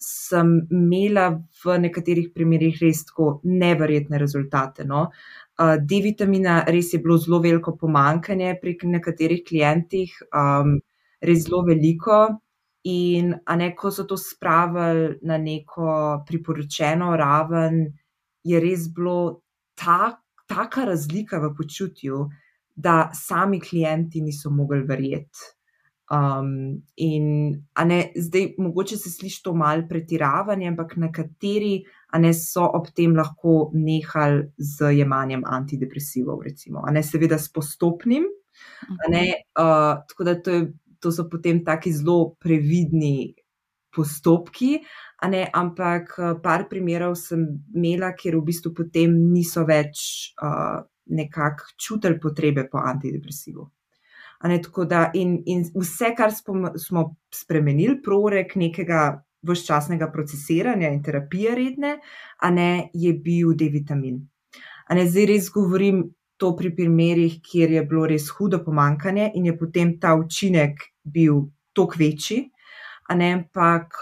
sem imela v nekaterih primerih res tako neverjetne rezultate, no. D-vitamina res je bilo zelo veliko pomanjkanje pri nekaterih klientih, res zelo veliko. In a ne, ko so to spravili na neko priporočeno raven, je res bilo taka razlika v počutju, da sami klienti niso mogli verjeti. In a ne, zdaj mogoče se sliši to malo pretiravanje, ampak nekateri a ne so ob tem lahko nehali z jemanjem antidepresivov, recimo, a ne, seveda s postopnim, a ne, tako da to so potem taki zelo previdni postopki, a ne, ampak par primerov sem imela, kjer v bistvu potem niso več nekako čutili potrebe po antidepresivu. A ne, tako da in vse, kar smo spremenili, prorek nekega vsečasnega procesiranja in terapije redne, a ne, je bil D-vitamin. A ne, zdaj res govorim to pri primerih, kjer je bilo res hudo pomanjkanje in je potem ta učinek bil toliko večji, a ne, ampak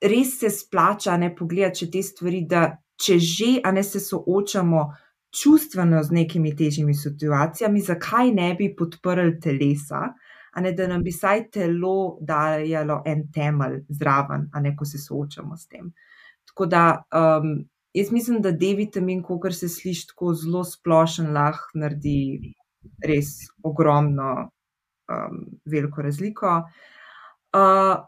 res se splača, a ne, pogledati še te stvari, da če že, a ne, se soočamo čustveno z nekimi težjimi situacijami, zakaj ne bi podprli telesa, a ne, da nam bi vsaj telo dajalo en temelj zraven, a ne, ko se soočamo s tem. Tako da jaz mislim, da D-vitamin, kakor se sliši tako zelo splošen, lahko naredi res ogromno, veliko razliko.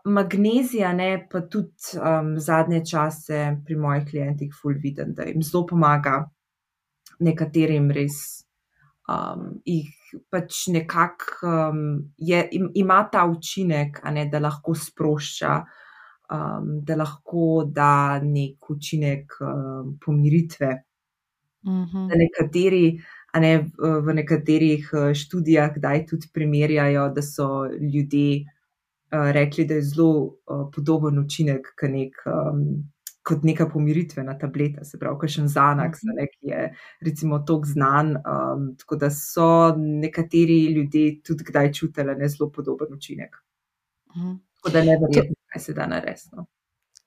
Magnezija, ne, pa tudi zadnje čase pri mojih klientih ful vidim, da jim zelo pomaga, nekaterim res jih pač nekako ima ta učinek, a ne, da lahko sprošča, da lahko da nek učinek pomiritve. Da nekateri, a ne, v nekaterih študijah kdaj tudi primerjajo, da so ljudje rekli, da je zelo podoben učinek kot neka pomiritvena tableta, se pravi, kakšen Xanax, ki je recimo toliko znan, tako da so nekateri ljudje tudi kdaj čutili zelo podoben učinek. Tako da neverjetno, kaj se da narediti.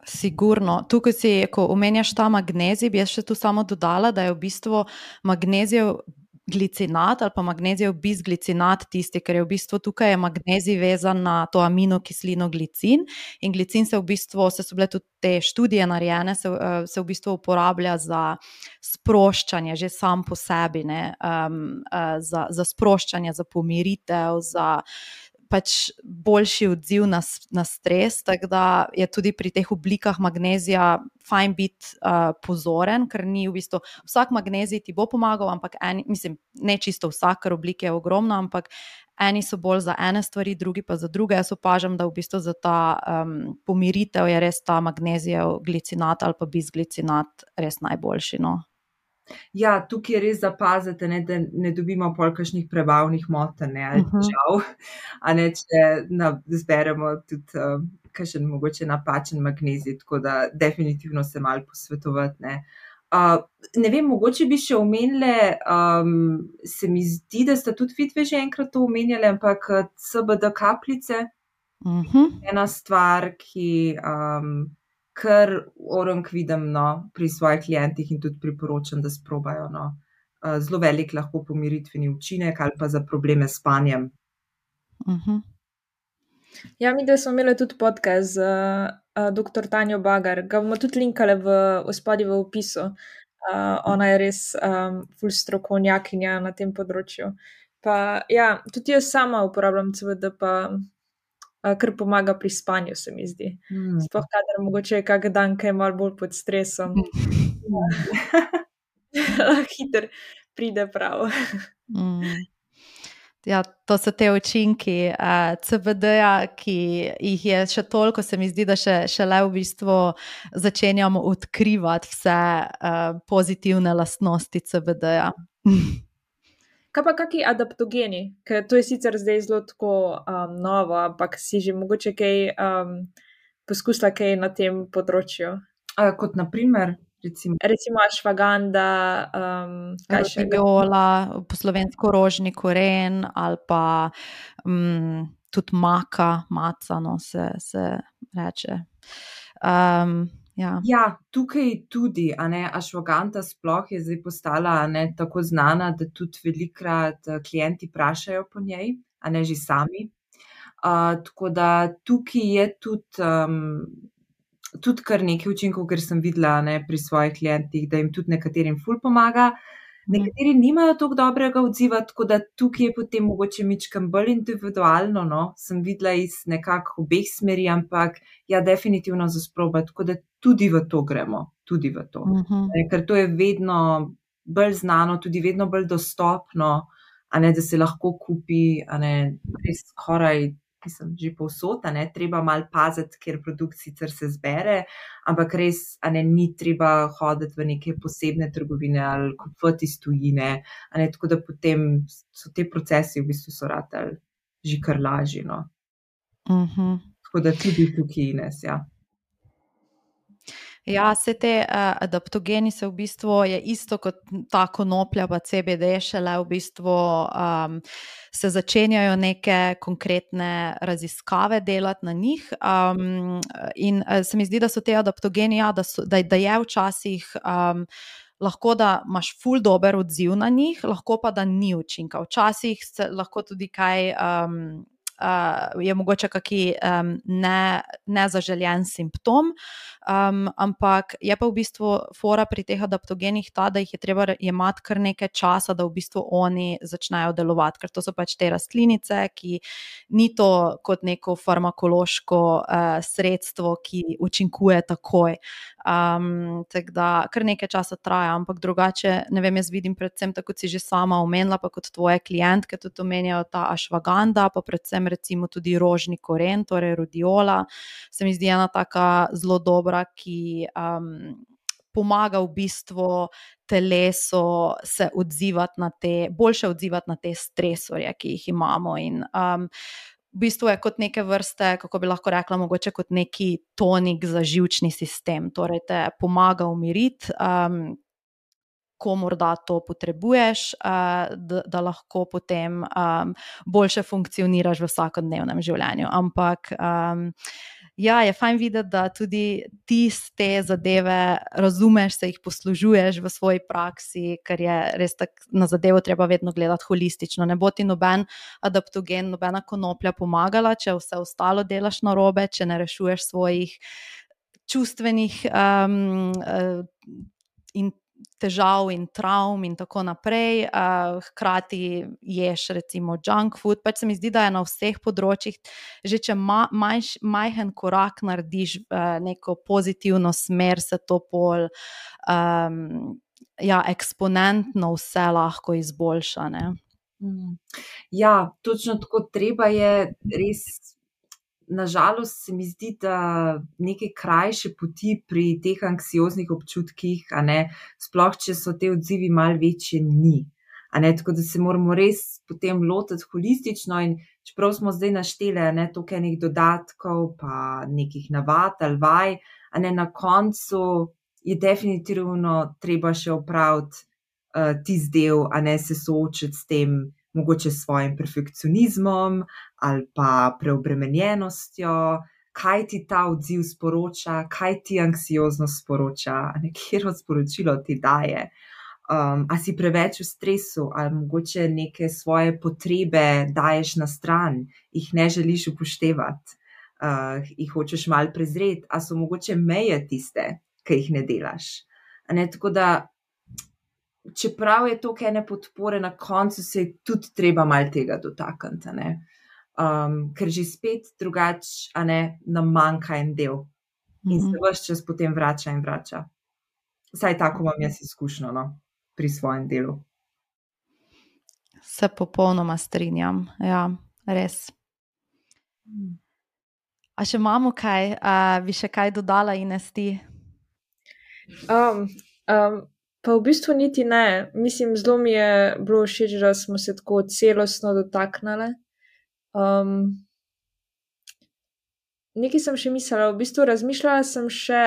Sigurno. Tukaj ko omenjaš ta magnezij, bi jaz še tu samo dodala, da je v bistvu magnezijev glicinat ali pa magnezijev bisglicinat tisti, ker je v bistvu tukaj je magnezij vezan na to aminokislino glicin in glicin so bile tudi te študije narejene, se v bistvu uporablja za sproščanje že sam po sebi, ne, za sproščanje, za pomiritev, za pač boljši odziv na stres, tako da je tudi pri teh oblikah magnezija fajn biti pozoren, ker ni v bistvu vsak magnezij ti bo pomagal, ampak ne čisto vsak, ker oblik je ogromno, ampak eni so bolj za ene stvari, drugi pa za druge. Jaz opažam, da v bistvu za ta pomiritev je res ta magnezijev glicinat ali pa bisglicinat res najboljši, no. Ja, tukaj je res zapaziti, ne, da ne dobimo pol kakšnih prebavnih motenj, ali težav, a ne, če zberemo tudi kakšen mogoče napačen magnezij, tako da definitivno se malo posvetovati, ne. Ne vem, mogoče bi še omenile, se mi zdi, da sta tudi vidve že enkrat to omenjali, ampak CBD kapljice, ena stvar, ki kar orang vidim, no, pri svojih klientih in tudi priporočam, da sprobajo, no. Zelo velik lahko pomiritveni učinek ali pa za probleme s spanjem. Ja, mi da smo imeli tudi podcast z dr. Tanjo Bagar, ga bomo tudi linkali spodaj v opisu. Ona je res ful strokovnjakinja na tem področju. Pa ja, tudi jaz sama uporabljam CBD, pa kar pomaga pri spanju, se mi zdi. Sploh kadar mogoče je kak dan, ki je malo bolj pod stresom. Hitro pride prav. Ja, to so te učinki CBD-ja, ki jih je še toliko, se mi zdi, da šele v bistvu začenjamo odkrivati vse pozitivne lastnosti CBD-ja. Kaj pa kaki adaptogeni? Ker to je sicer zdaj zelo tako novo, ampak si že mogoče kaj poskusila kaj na tem področju? Kot na primer? Recimo ashwaganda, rodiola, po slovensko rožni koren ali pa tudi maca, no, se reče. Ja, tukaj tudi, a ne, ashwagandha sploh je zdaj postala, a ne, tako znana, da tudi velikokrat klienti vprašajo po njej, a ne, že sami. Tako da tukaj je tudi kar nekaj učinkov, ker sem videla, ne, pri svojih klientih, da jim tudi nekaterim ful pomaga. Nekateri nimajo toliko dobrega odziva, tako da tukaj je potem mogoče mičkam bolj individualno, no, sem videla iz nekako obeh smeri, ampak ja, definitivno za sprobati, tako da tudi v to gremo, tudi v to. Ker to je vedno bolj znano, tudi vedno bolj dostopno, a ne, da se lahko kupi, a ne, res skoraj, že povsod, a ne, treba malo paziti, ker produkt sicer se zbere, ampak res, a ne, ni treba hoditi v neke posebne trgovine ali kupovati iz tujine, a ne, tako da potem so te procesi v bistvu so ratali že kar lažji, no. Tako da tudi tukaj, Ines, ja. Ja, vse te adaptogeni se v bistvu je isto kot ta konoplja pa CBD, šele v bistvu se začenjajo neke konkretne raziskave delati na njih in se mi zdi, da so te adaptogeni, ja, da je včasih lahko, da imaš ful dober odziv na njih, lahko pa, da ni učinka. Včasih se lahko tudi kaj je mogoče kaki nezaželjen simptom, ampak je pa v bistvu fora pri teh adaptogenih ta, da jih je treba jemati kar nekaj časa, da v bistvu oni začnejo delovati, ker to so pač te rastlinice, ki ni to kot neko farmakološko sredstvo, ki učinkuje takoj. Tako da kar nekaj časa traja, ampak drugače, ne vem, jaz vidim predvsem, tako kot si že sama omenila, pa kot tvoje klientke tudi omenjajo ta ašvaganda, pa predvsem recimo tudi rožni koren, torej rhodiola, se mi zdi ena taka zelo dobra, ki pomaga v bistvu telesu se odzivati na boljše odzivati na te stresorje, ki jih imamo, in v bistvu je kot neke vrste, kako bi lahko rekla, mogoče kot neki tonik za živčni sistem, torej te pomaga umiriti, ko morda to potrebuješ, da lahko potem boljše funkcioniraš v vsakodnevnem življenju, ampak ja, je fajn videti, da tudi ti te zadeve razumeš, se jih poslužuješ v svoji praksi, ker je res tako na zadevo treba vedno gledati holistično. Ne bo ti noben adaptogen, nobena konoplja pomagala, če vse ostalo delaš narobe, če ne rešuješ svojih čustvenih in težav in travm in tako naprej, hkrati ješ recimo junk food, pač se mi zdi, da je na vseh področjih, že če majhen korak narediš neko pozitivno smer, se to pol eksponentno vse lahko izboljša, ne? Ja, točno tako, treba je res. Nažalost se mi zdi, da neke krajše poti pri teh anksioznih občutkih, sploh če so te odzivi malo večje, ni. Tako da se moramo res potem lotiti holistično, in čeprav smo zdaj naštele toliko enih dodatkov pa nekih navad ali vaj, na koncu je definitivno treba še opraviti tisti del, se soočiti s tem, mogoče s svojim perfekcionizmom ali pa preobremenjenostjo, kaj ti ta odziv sporoča, kaj ti anksioznost sporoča, katero sporočilo ti daje. A si preveč v stresu, ali mogoče neke svoje potrebe daješ na stran, jih ne želiš upoštevati, jih hočeš malo prezreti, a so mogoče meje tiste, ki jih ne delaš. Tako da čeprav je toliko ene podpore, na koncu se je tudi treba malo tega dotakniti, ker že spet drugače, nam manjka en del in se ves čas potem vrača in vrača. Vsaj tako imam jaz izkušnjo, pri svojem delu. Se popolnoma strinjam, ja, res. A še imamo kaj, bi še kaj dodala, Ines, ti? Pa v bistvu niti ne. Mislim, zelo mi je bilo všeč, da smo se tako celostno dotaknile. Nekaj sem še mislila, v bistvu razmišljala sem še,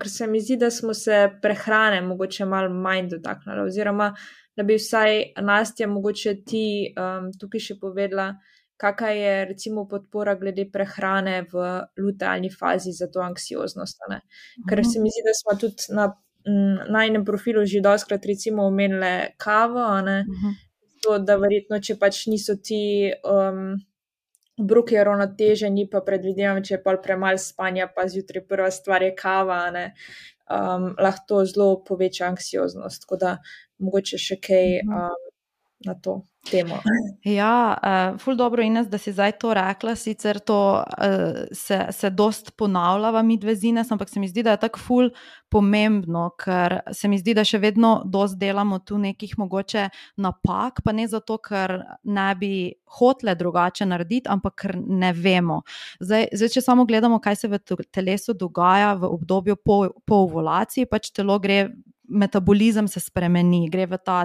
ker se mi zdi, da smo se prehrane mogoče malo manj dotaknile, oziroma da bi vsaj Nastja mogoče ti tukaj še povedala, kakšna je recimo podpora glede prehrane v lutealni fazi za to anksioznost, Ker se mi zdi, da smo tudi na najinem profilu že dostikrat recimo omenile kavo, to, da verjetno, če pač niso ti obroki uravnoteženi, pa predvidevam, če je pol premalo spanja, pa zjutraj prva stvar je kava, lahko to zelo poveča anksioznost, tako da mogoče še kaj na to temo. Ja, ful dobro, Ines, da si zdaj to rekla, sicer to se dost ponavljava midve z Ines, ampak se mi zdi, da je tako ful pomembno, ker se mi zdi, da še vedno dost delamo tu nekih mogoče napak, pa ne zato, ker ne bi hotele drugače narediti, ampak ker ne vemo. Zdaj, če samo gledamo, kaj se v telesu dogaja v obdobju po ovulaciji, pač telo gre, metabolizem se spremeni,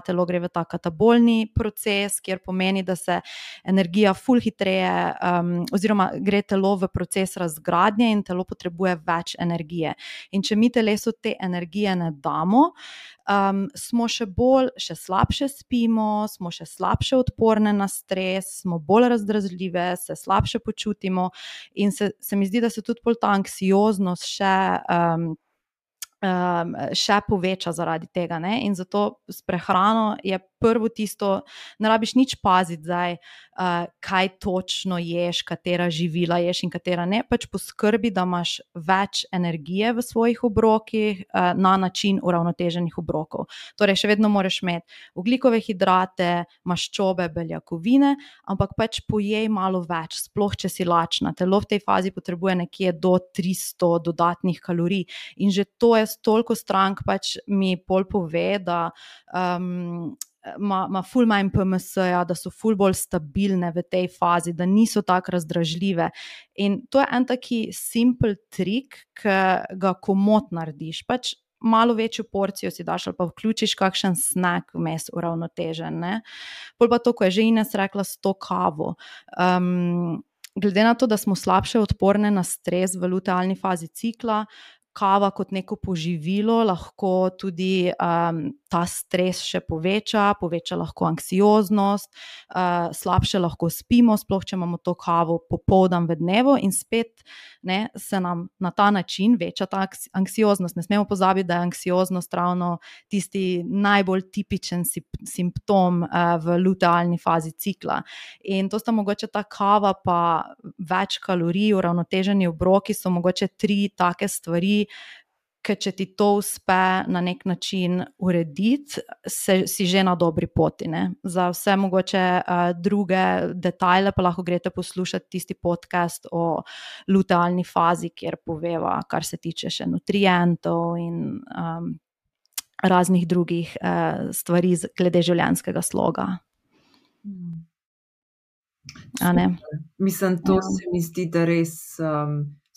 telo gre v ta katabolni proces, kjer pomeni, da se energija ful hitreje, oziroma gre telo v proces razgradnje in telo potrebuje več energije. In če mi telesu te energije ne damo, smo še slabše spimo, smo še slabše odporne na stres, smo bolj razdražljive, se slabše počutimo in se mi zdi, da se tudi pol ta anksioznost še poveča zaradi tega, in zato s prehrano je prvo tisto, ne rabiš nič paziti zdaj, kaj točno ješ, katera živila ješ in katera ne, pač poskrbi, da imaš več energije v svojih obrokih na način uravnoteženih obrokov. Torej, še vedno moraš imeti ogljikove hidrate, maščobe, beljakovine, ampak pač pojej malo več, sploh če si lačna. Telo v tej fazi potrebuje nekje do 300 dodatnih kalorij in že to je toliko strank pač mi pol pove, da ima ful manj PMS-ja, da so ful bolj stabilne v tej fazi, da niso tako razdražljive. In to je en taki simpel trik, ki ga komot narediš. Pač malo večjo porcijo si daš ali pa vključiš kakšen snack vmes uravnotežen. Ne? Pol pa to, ko je že Ines rekla, s to kavo. Glede na to, da smo slabše odporne na stres v lutealni fazi cikla, kava kot neko poživilo lahko tudi ta stres še poveča lahko anksioznost, slabše lahko spimo, sploh če imamo to kavo popoldan v dnevu in spet se nam na ta način veča ta anksioznost. Ne smemo pozabiti, da je anksioznost ravno tisti najbolj tipičen simptom v lutealni fazi cikla. In to sta mogoče ta kava pa več kalorij, uravnoteženi obroki so mogoče 3 take stvari, ker če ti to uspe na nek način urediti, si že na dobri poti. Ne? Za vse mogoče druge detajle pa lahko greste poslušati tisti podcast o lutealni fazi, kjer poveva, kar se tiče še nutrientov in raznih drugih stvari glede življenjskega sloga. Mislim, to se mi zdi, da res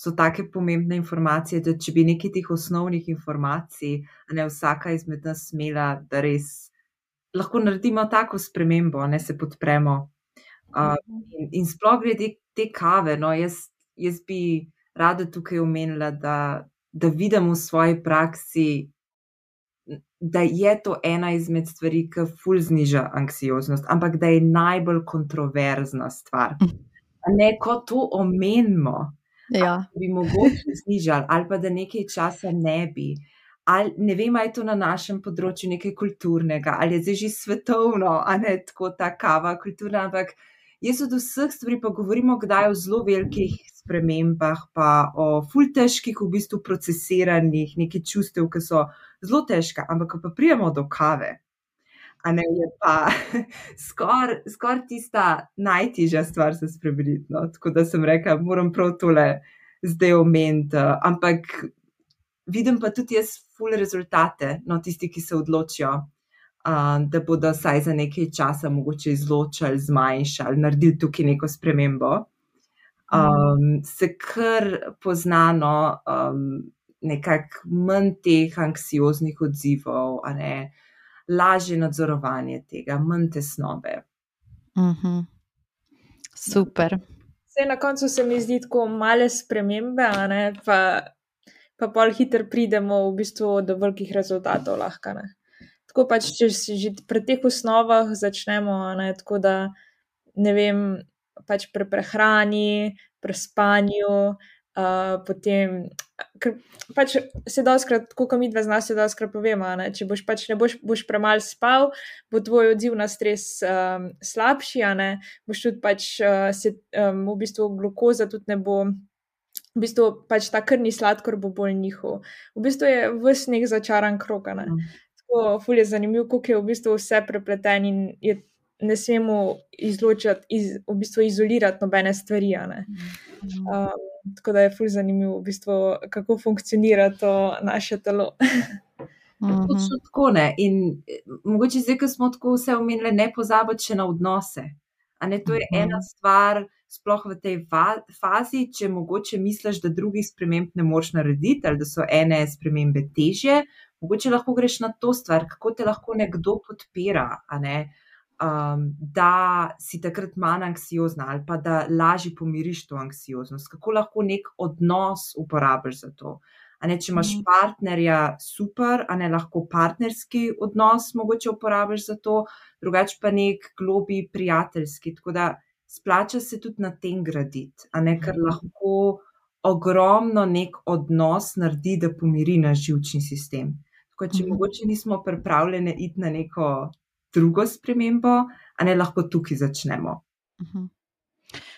so take pomembne informacije, da če bi nekaj teh osnovnih informacij, vsaka izmed nas imela, da res lahko naredimo tako spremembo, se podpremo. In sploh glede te kave, jaz bi rada tukaj omenila, da vidim v svoji praksi, da je to ena izmed stvari, ki ful zniža anksioznost, ampak da je najbolj kontroverzna stvar. Ko to omenimo, bi mogoče znižali, ali pa da nekaj časa ne bi. Ali, ne vem, ali je to na našem področju nekaj kulturnega, ali je zdaj že svetovno, tako ta kava kulturna, ampak jaz od vseh stvari pa govorimo kdaj o zelo velikih spremembah, pa o ful težkih v bistvu procesiranih nekaj čustev, ki so zelo težka, ampak ko pa prijemo do kave, je pa skoraj tista najtežja stvar se spremeniti. Tako da sem rekla, moram prav tole zdaj omeniti, ampak vidim pa tudi jaz ful rezultate, tisti, ki se odločijo, da bodo vsaj za nekaj časa mogoče izločili, zmanjšali, naredili tukaj neko spremembo. Se kar poznano nekako manj teh anksioznih odzivov, lažje nadzorovanje tega, manj tesnobe. Super. Saj na koncu se mi zdi tako male spremembe, pa pol hitro pridemo v bistvu do velikih rezultatov lahko. Tako pač, če si že pri teh osnovah začnemo, tako da, ne vem, pač pri prehrani, pri spanju, potem, ker pač se dostikrat, tako kot midva z nas se dostikrat povemo, če boš premalo spal, bo tvoj odziv na stres slabši, boš tudi pač v bistvu glukoza tudi ne bo, v bistvu pač ta krvni sladkor bo bolj njihov. V bistvu je ves nek začaran krog, Tako ful je zanimiv, koliko je v bistvu vse prepleteno in ne smemo izločati, v bistvu izolirati nobene stvari, Tako da je ful zanimivo, v bistvu, kako funkcionira to naše telo. Točno tako, in mogoče zdaj, ko smo tako vse omenili, ne pozabiti še na odnose. To je ena stvar, sploh v tej fazi, če mogoče misliš, da drugih sprememb ne moreš narediti, ali da so ene spremembe težje, mogoče lahko greš na to stvar, kako te lahko nekdo podpira, da si takrat manj anksiozna ali pa da lažje pomiriš to anksioznost, kako lahko nek odnos uporabiš za to. Če imaš partnerja, super, lahko partnerski odnos mogoče uporabiš za to, drugače pa nek globlji prijateljski, tako da splača se tudi na tem graditi, ker lahko ogromno nek odnos naredi, da pomiri naš živčni sistem. Tako če mogoče nismo pripravljene iti na neko drugo spremembo, a ne lahko tukaj začnemo.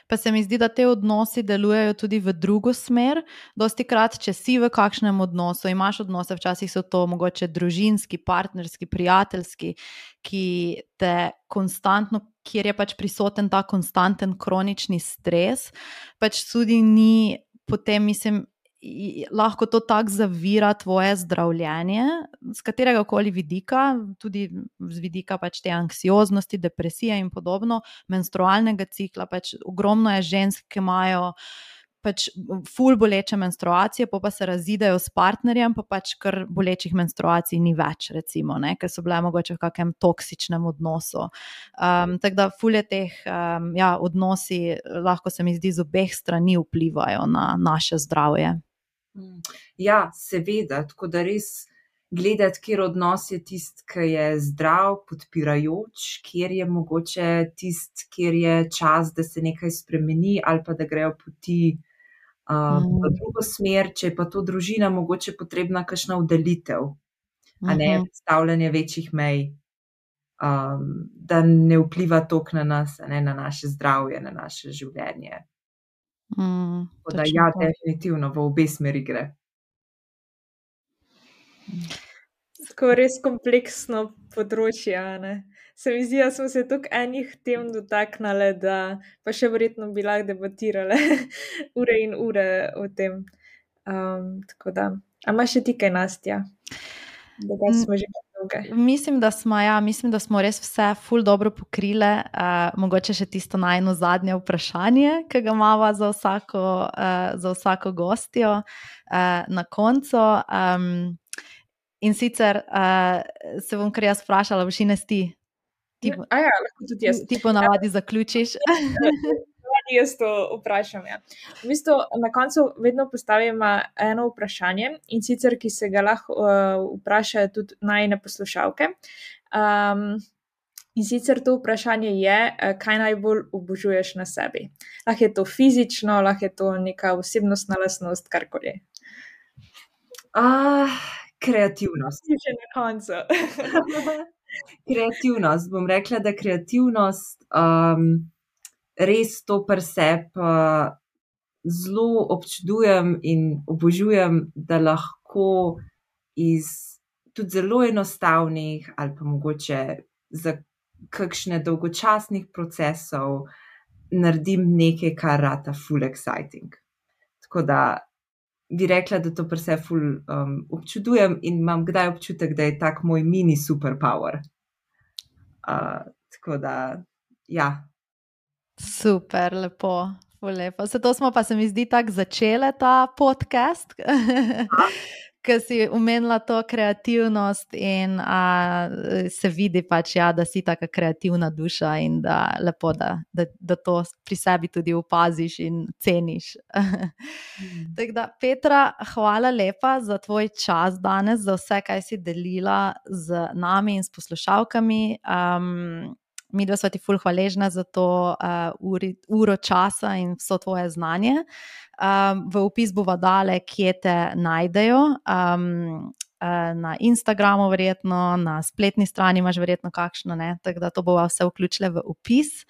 Pa se mi zdi, da te odnosi delujejo tudi v drugo smer. Dostikrat, če si v kakšnem odnosu, imaš odnose, včasih so to mogoče družinski, partnerski, prijateljski, ki te konstantno, kjer je pač prisoten ta konstanten kronični stres, pač tudi ni potem, mislim, lahko to tako zavira tvoje zdravljenje, z katerega koli vidika, tudi z vidika pač te anksioznosti, depresije in podobno, menstrualnega cikla, pač ogromno je žensk, ki imajo pač ful boleče menstruacije, pa se razidejo s partnerjem, pa pač kar bolečih menstruacij ni več, recimo, ne, ker so bile mogoče v kakem toksičnem odnosu. Tako da ful je teh odnosi, lahko se mi zdi, z obeh strani vplivajo na naše zdravje. Ja, seveda, tako da res gledati, kjer odnos je tisti, ki je zdrav, podpirajoč, kjer je mogoče tisti, kjer je čas, da se nekaj spremeni ali pa da grejo poti v drugo smer, če je pa to družina mogoče potrebna kakšna oddaljitev, a ne postavljanje večjih mej, da ne vpliva toliko na nas, a ne, na naše zdravje, na naše življenje. Tako da ja, definitivno v obe smeri gre. Tako res kompleksno področje, ne. Se mi zdi, da smo se toliko enih tem dotaknili, da pa še verjetno bi lahko debatirale ure in ure o tem. Tako da, a imaš še ti kaj, Nastja? Da smo že dolge. Mislim, da smo res vse ful dobro pokrile. Mogoče še tisto najno zadnje vprašanje, ki ga imava za vsako gostjo na koncu. In sicer se bom kar jaz vprašala, boš Ines ti? Lahko tudi jaz. Ti ponavadi zaključiš. Jaz to vprašam, ja. V bistvu na koncu vedno postavim eno vprašanje, in sicer, ki se ga lahko vprašajo tudi najine poslušalke. In sicer to vprašanje je, kaj najbolj obožuješ na sebi. Lahko je to fizično, lahko je to neka osebnostna lastnost, karkoli. Kreativnost. Že na koncu. Kreativnost. Bom rekla, da kreativnost res to pri sebi zelo občudujem in obožujem, da lahko iz tudi zelo enostavnih ali pa mogoče za kakšne dolgočasnih procesov naredim nekaj, kar rata ful exciting. Tako da bi rekla, da to pri sebi ful občudujem in imam kdaj občutek, da je tak moj mini superpower. Tako da, ja. Super, lepo, ful lepo. Zato smo pa, se mi zdi, tako začele ta podcast, ker si omenila to kreativnost in se vidi pač, ja, da si taka kreativna duša in da lepo, da to pri sebi tudi opaziš in ceniš. Tako da, Petra, hvala lepa za tvoj čas danes, za vse, kaj si delila z nami in s poslušalkami. Midva sva ti ful hvaležna za to uro časa in vso tvoje znanje. V opis bova dale, kje te najdejo. Na Instagramu verjetno, na spletni strani imaš verjetno kakšno, ne? Tako da to bova vse vključile v opis.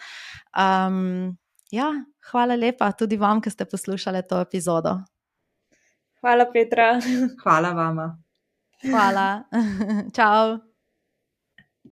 Ja, hvala lepa tudi vam, ki ste poslušali to epizodo. Hvala, Petra. Hvala vama. Hvala. Čau.